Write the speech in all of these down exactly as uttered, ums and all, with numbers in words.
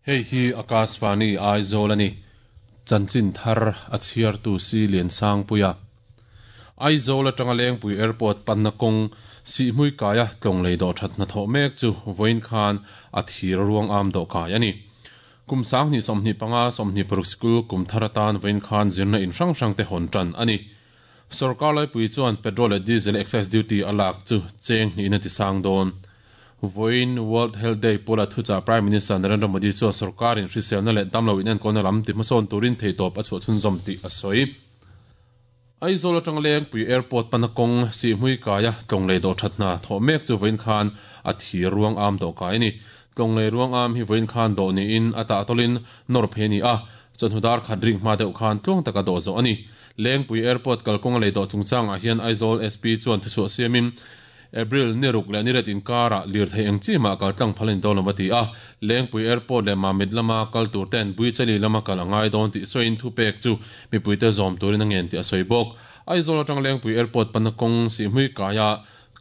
Hei hi Akashvani Aizawl ani. Chanchin thar a chhiartu si Lian Sangpuia. Aizawl atanga Lengpui Airport panna kawng Sihhmui kaia tlawng lei dawh that hnathawh mek chu vawiin khan a thir ruang am dawh kai ani. Kum sanghnih sawmhnih panga sawmhnih paruk sikul kum thar atan vawiin khan zirna in hrang hrang te hawn tan ani. Sorkar laipui chuan petrol leh diesel excise duty a lak chu cheng hnihin a ti sang dawn. Vawiin World Health Day pawla thuchah Prime Minister Narendra Modi chuan sorkarin hriselna leh damlo inenkawlna lam ti hmasawn turin theihtawp a chhuah chhunzawm tih a sawi. Aizawl atanga Lengpui Airport pana kawng Sihhmui kaia tlawng lei dawh that hna thawh mek chu vawiin khan a thir ruang am dawh kai a ni. Tlawng lei ruang am hi vawiin khan dawh niin a tahtawlin nawr phei a ni a, chawhnu dar khat ring hma deuh khan tluang taka dawh zawh a ni. Lengpui Airport kalkawnga lei dawh chungchangah hian Aizawl S P chuan thuchhuah siamin April ni ruk leh ni ret inkarah lirthei eng chi mah kal tlang phal a ni dawn lo a ti a. Lengpui Airport leh Mamit lama kal tur ten Buichali lama kal a ngai dawn tih sawiin thupek chu mipuite zawm turin a ngen tih a sawi bawk. Aizawl atang Lengpui Airport pana kawng Sihhmui kaia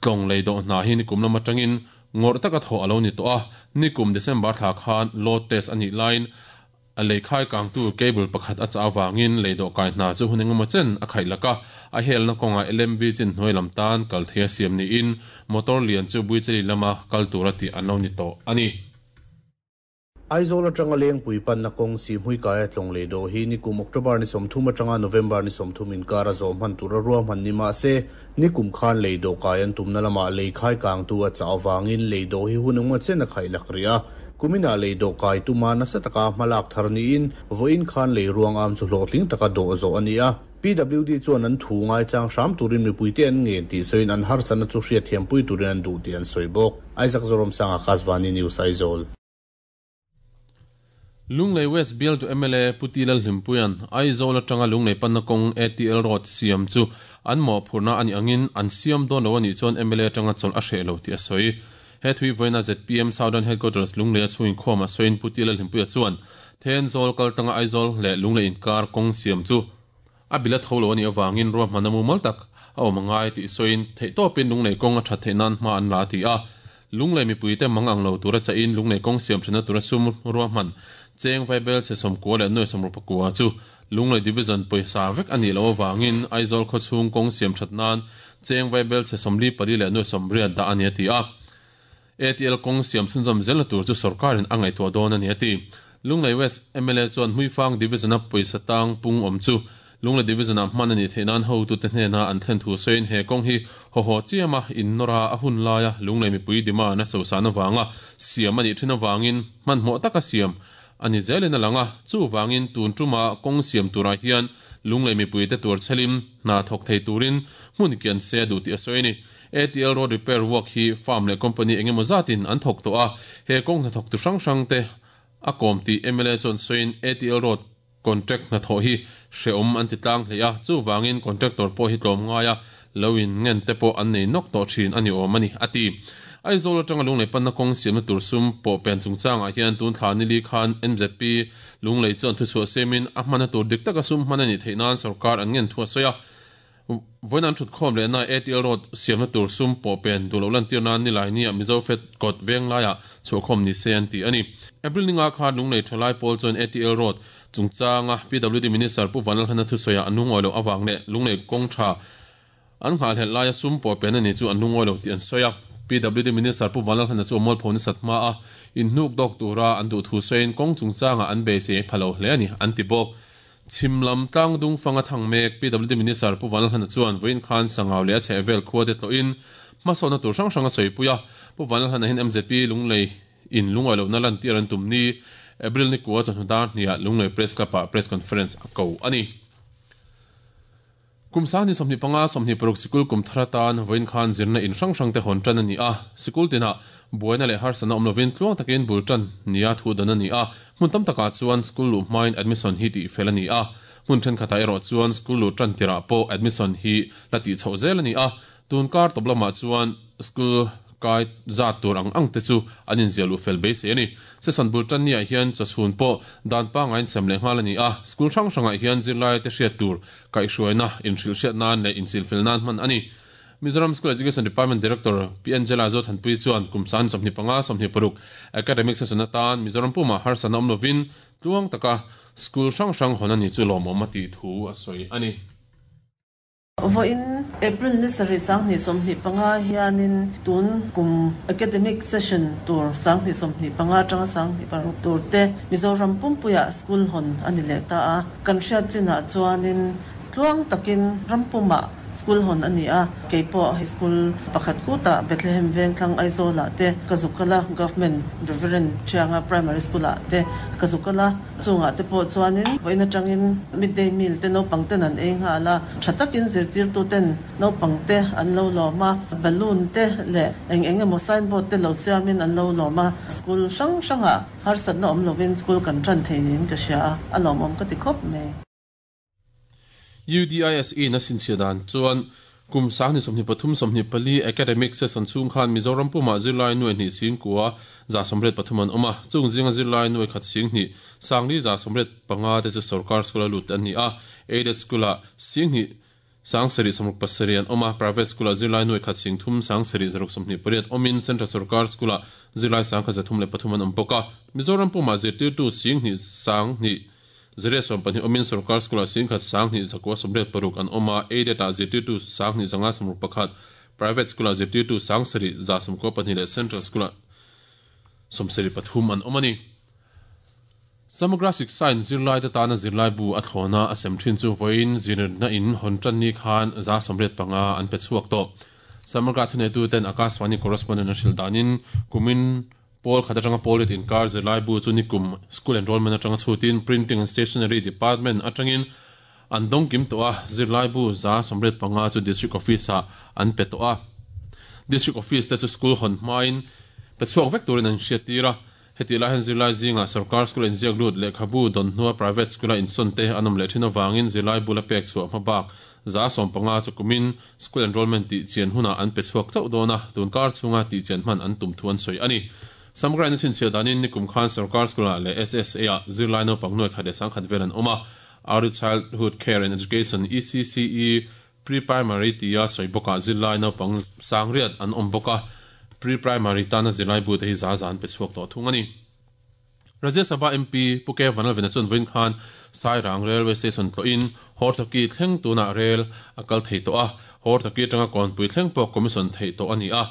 tlawng lei dawh hna hi nikum lam atangin ngawrh taka thawh a lo ni tawh a. Nikum December thla khan load test a nih laiin a lei khai kangtu cable pakhat a chah avangin lei dawh kai hna chu hun engemaw chen a khaih lak a, a helna kawngah L M V chin hnuai lam tan kal thei a siam niin motor lian chu Buichali lama kal tura tih an lo ni tawh a ni. Aizawl atanga Lengpui panna kawng Sihhmui kaia tlawng lei dawh hi nikum October ni sawmthum atanga November ni sawmthum inkar a zawh hman tura ruahman ni mah se nikum khan lei dawh kai an tumna lamah lei khai kangtu a chah avangin lei dawh hi hun engemaw chen a khaih lak rih a. Kumina lei dawh kai tuma nasa taka hmalak thar niin vawiin khan lei ruang am chu hlawhtling taka dawh zawh a ni a. P W D chuan an thu ngai chang hram turin mipuite an ngen tih sawiin an harsatna chu hriat thiampui turin an duh tih an sawi bawk. Isaac Zoramsanga Akashvani News Aizawl. Lunglei West Bial to M L A Puti Lalhlimpuian Aizawl atanga Lunglei panna kawng A T L Road siam chu an mawhphurhna ani angin an siam dawn lo anih chuan M L A atanga chawlh a hreh lo tih a sawi. He thui vawiina Z P M Southern Headquarters Lunglei a chhungin khawm a sawiin Puti Lalhlimpuia chuan Thenzawl kaltanga Aizawl leh Lunglei inkar kawng siam chu a bila tho lo anih avangin ruahman a mumal tak a awm angai tih sawiin theihtawpin Lunglei kawng a that theih nan hma an la ti a. Lunglei mipuite mang ang lo tura chahin Lunglei kawng siam thena tura sum ruahman cheng vaibel che sawmkua leh nuai sawmruk pakua chu Lunglei Division pawisa vek anih lo awangin Aizawl khawchhung kawng siam that nan cheng vaibel che sawmli pali leh nuai sawmriat dah ani a ti a. A T L kawng siam chhunzawm zelna tur chu sorkarin a ngaihtuah dawn ani a ti. Lunglei West M L A chuan Hmuifang Division a pawisa tang pung awm chu Lunglei Division a hman ani theih nan hotu te hnena an thlen thu sawiin he kawng hi haw haw chiama innawra a hun laia Lunglei mipui demand a chosana wanga siam ani thin awangin hmanhmawh taka siam ani zelin a langa chu wangin tun tuma kawng siam turah hian Lunglei mipui te tur chhelim hna thawk thei turin hmun kian se duh tih a sawi ani. A T L Road Repair Work hi farm leh company engemaw zatin an thawk tawh a, he kawng hnathawk tu hrang hrang te a kawm tih M L A chuan sawiin A T L Road contract hnathawh hi hreawm an ti tlang hlei a, chu wangin contractor pawh hi tlawm ngai a loin ngen te pawh an nei nawk tawh thin ani awm ani a ti. Aizawl atanga Lunglei panna kawng siamna tur sum pawh pen chungchangah hian tun thla ni li khan M Z P Lunglei chuan thuchhuah siamin a hmana tur dik taka sum hman ani theih nan sorkar an ngen thu a sawi a. Vawiin an thut khawm lehna A T L Road siamna tur sum pawh pen duh lo lantir nan ni lai ni a Mizo Fed kawt veng laiah chhuah khawm ni se an ti ani. April ninga khan Lunglei thalai pawl chuan A T L Road chungchanga P W D Minister Pu Vanlalhana thusawiah an lungawi lo awang leh Lunglei kawng tha an nghalhelh laia sum pawh pen ani chu an lungawi lo tih an sawi a. P W D Minister Pu Vanlalhana chu a mualpho ni satma a inhnuk dawk tura an duh thu sawiin kawng chungchanga an beisei phalo hle ani an ti bawk. Chimlam tlang dung fanga thang mek P W D Minister Pu Vanlalhana chuan vawiin khan sangau leh a chhehvel khua te tlawhin hmasawhna tur hrang hrang a sawipuia Pu Vanlalhana hian M Z P Lunglei in lungawi lohna lantir an tum ni April ni kua chawhnu dar hniah Lunglei Press Club ah press conference a ko ani. Kum sangni sawmhnih panga sawmhnih paruk sikul kum thar atan vawiin khan zirna in hrang hrang te hawn tan ani a, sikul tinah buaina leh harsatna awm lovin tluang takin bul tan nia thu dan ani a, hmun tam takah chuan school luh hmain admission hi tih fel ani a, hmun thenkhatah erawh chuan school luh tan tirah pawh admission hi la tih chhoh zel ani a, tun kar tawp lamah chuan school kai zat tur ang ang te chu an inziah luh fel beisei ani. Session bul tan niah hian chawchhun pawh dan pangain sem leh nghal ani a, school hrang hrangah hian zirlai te hriat tur kaihhruaina inhrilh hriat nan leh insilfel nan hman ani. Mizoram School Education Department Director P Angela Zothanpui chuan kumsan sawmhnih panga sawmhnih paruk academic session atan Mizoram puma harsatna awm lovin tluang taka school hrang hrang hawn ani chu lawmawm a tih thu a sawi ani. Voin April ni sari sang ni somni panga hianin tun kum academic session tur sang ni somni panga tanga sang ni paruk tur te Mizoram pumpuia school hon ani le ta a kan hriat china chuanin tluang takin rampuma school hon ani a keipo high school pakhat khuta Bethlehem Vengthlang Aizawl te Kazukala Government Reverend Chianga Primary School te Kazukala chunga te po chuanin voina tangin midday meal te no pangten an eng ha la thatakin zirtir tu ten no pangte an lo loma balloon te le eng eng emaw signboard te lo siamin an lo loma school sang sanga har sat na om lovin school kan tran theinin ka sia alom om ka ti khop me. U D I S E na sinchiadan chuan kum sang ni somni pathum somni pali academic session chung khan Mizoram puma zirlai nuai ni sing kuwa za somret pathuman oma chung zinga zirlai nuai khat sing ni sangli za somret panga te chu sarkar school lut an ni a aided school a sing ni sang sari somruk pasarian oma private school a zirlai nuai khat sing thum sang sari zaruk somni pariat omin central sarkar school a zirlai sang kha zathum le pathuman om poka Mizoram puma zirtir tu sing ni sang ni zere som pani omin sarkar school sing khat sang ni zakwa somret paruk an oma aided a zirtir tu sang ni zanga somruk pakhat private school a zirtir tu sang sari za somko pani le central school somsari pathum an omani. Samagra Shiksha in zirlai te tana zirlai bu a thlona a sem thin chu voin zirna in hontran ni khan za somret panga an pe chuak to Samagra thune tu ten Akashvani correspondent na hril danin kumin Paul khatanga Paul in kar zirlai bu chu nikum school enrollment atanga chutin printing and stationery department atangin andong kim to a zirlai bu za somret panga chu district office a an pe to a district office te chu school hon main pe chuak vek turin an hriatira heti la hen zirlai zinga sarkar school in ziak lut lekhabu don hnua private school a inson te anom le thin awangin zirlai bula pek chu hmabak za som panga chu kumin school enrollment ti chian huna an pe chuak chau dona tun kar chunga ti chian man an tum thuan soi ani. Samgra in sin chiadanin nikum khan sarkar school le S S A a zirlai no pangnoi khade sang khat velan oma Early Childhood Care and Education E C C E pre-primary tia soiboka zirlai no pang sangriat an omboka pre-primary tana zirlai bu te hi za zan pe chuak to thungani. Rajya Sabha M P Puke Vanal Venachun Vin Khan Sairang Railway Station tlo in Hortaki thleng tuna rail akal thei to a Hortaki tanga konpui thleng pawh commission thei to ani a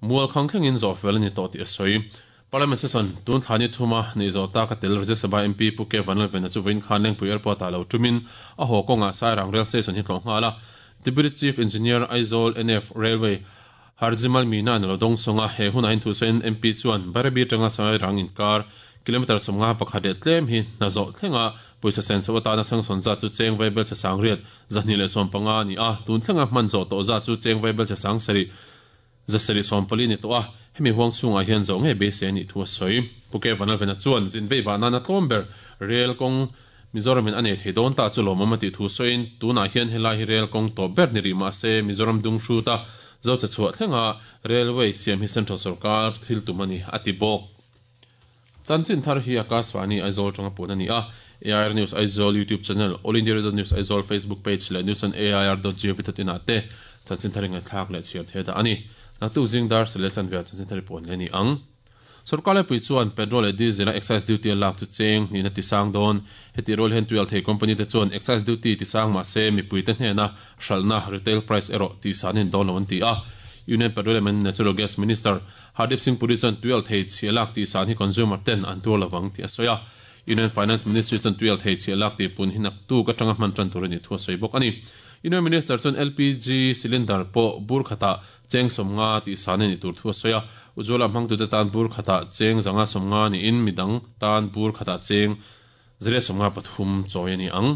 mual khang thleng in zo fel ani to ti a sawi. Parliament session tun thani thuma ni zo ta ka tel Rajya Sabha M P Puke Vanal Venachu Vin Khan lengpui airport a lo tumin a ho konga Sairang Rail Station hi tlo ngala Deputy Chief Engineer Aizawl N F Railway Harjimal Mina an lo dong songa he hun ain thu sen M P chuan Barabi tanga Sairang in kar kilometer somnga pakhat le tlem hi na zo thlenga poisa sen so ta na sang son za chu cheng vaibel cha sang riat zahni le som panga ni a tun thlenga man zo to za chu cheng vaibel cha sang sari za sari som pali ni to a hemi huang chunga hian zo nge be se ni thu soi Puke Vanal Vena chuan zin vei wa na na tlomber rail kong Mizoram in ane thei don ta chu lomam ti thu soin tuna hian helai hi rail kong to ber ni ri ma se Mizoram dung hru ta zo cha chhuah thlenga railway siam hi central sarkar thil tumani ati bok Chanchin thar hi Akashvani Aizawl tanga pun ani a A I R News Aizawl YouTube channel All India Radio News Aizawl Facebook page le news on A I R dot gov dot in ate chanchin thar inga thlak le chhiar the da ani na tu jingdar sele chanve chanchin thar pon le ni ang sarkar le pui chuan petrol le diesel a excise duty lak chu cheng ni na ti sang don heti rol hen tual thei company te chuan excise duty ti sang ma se mi pui te hne na hral retail price ero ti sanin don lo an ti a Union Petroleum and Natural Gas Minister Hardeep Singh Puri chuan tual thei chialak ti san hi consumer ten an tur lawang ti asoya Union Finance Ministry chuan tual thei chialak ti pun hinak tu ka tanga man tran tur ni thu soi bok ani Union Minister chuan L P G cylinder po bur khata cheng somnga ti san ni tur thu soya ujola mang tu te tan bur khata cheng zanga somnga ni in midang tan bur khata cheng zere somnga pathum choi ani ang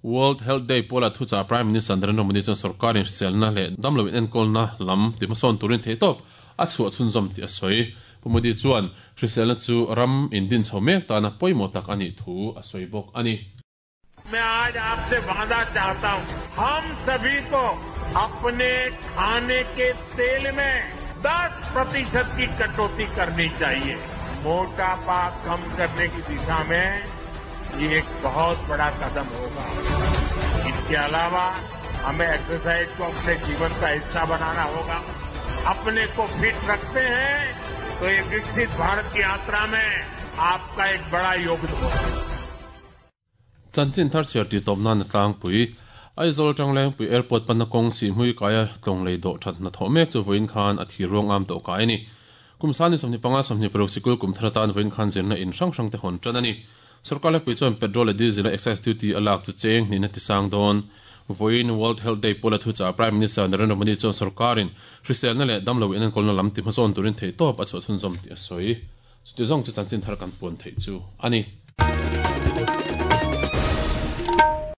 World Health Day pola thucha Prime Minister Narendra Modi chuan sarkar in hriselna leh damlo in enkawlna lam ti hmasawn turin thei tawp a chhuah chhunzawm ti a sawi Pu Modi chuan hriselna chu ram in din chho mek tana pawimawh tak ani thu a sawi bawk ani. मैं आज आपसे वादा चाहता हूं, हम सभी को अपने खाने के तेल में दस प्रतिशत की कटौती करनी चाहिए। मोटापा कम करने की दिशा में ये एक बहुत बड़ा कदम होगा। इसके अलावा हमें एक्सरसाइज को अपने जीवन का हिस्सा बनाना होगा। अपने को फिट रखते हैं तो ये विकसित भारत की यात्रा में आपका एक बड़ा योगदान होगा। Chanchin thar chhiar ti tawp nan tlangpui Aizawl Tanglengpui Airport panna kawng Sihhmui kaia tlawng lei dawh that hna thawh mek chu vawiin khan a thir ruang am tawh kai a ni. Kum sani sawmhnih panga sawmhnih paruk sikul kum thar atan vawiin khan zirna in hrang hrang te hawn tan a ni. Sorkar lepui chuan petrol leh diesel a excise duty a lak chu cheng hnih na ti sang dawn. Vawiin World Health Day pawla thuchah Prime Minister Narendra Modi chuan sorkarin hriselna leh damlo in enkawlna lam ti hmasawn turin theihtawp a chhuah chhunzawm tih a sawi. Chuti zawng chu chanchin thar kan puan theih chu a ni.